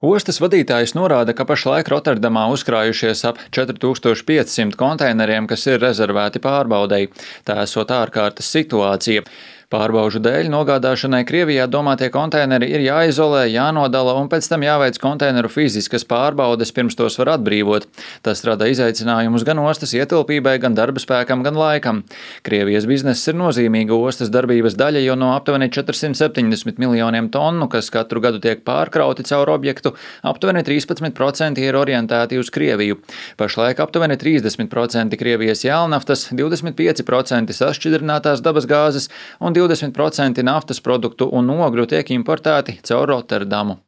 Ostas vadītājs norāda, ka pašlaik Rotterdamā uzkrājušies ap 4500 konteineriem, kas ir rezervēti pārbaudei. Tā esot ārkārtas situācija. Pārbaužu dēļ nogādāšanai Krievijā domātie konteineri ir jāizolē, jānodala un pēc tam jāveic konteineru fiziskas pārbaudes, pirms tos var atbrīvot. Tas rada izaicinājumus gan ostas ietilpībai, gan darba spēkam, gan laikam. Krievijas bizness ir nozīmīga ostas darbības daļa, jo no aptuveni 470 miljoniem tonu, kas katru gadu tiek pārkrauti caur objektu, aptuveni 13% ir orientēti uz Krieviju. Pašlaik aptuveni 30% Krievijas jēlnaftas, 25% sašķidrinātās dabasgāzes un 20% naftas produktu un ogļu tiek importēti caur Rotterdamu.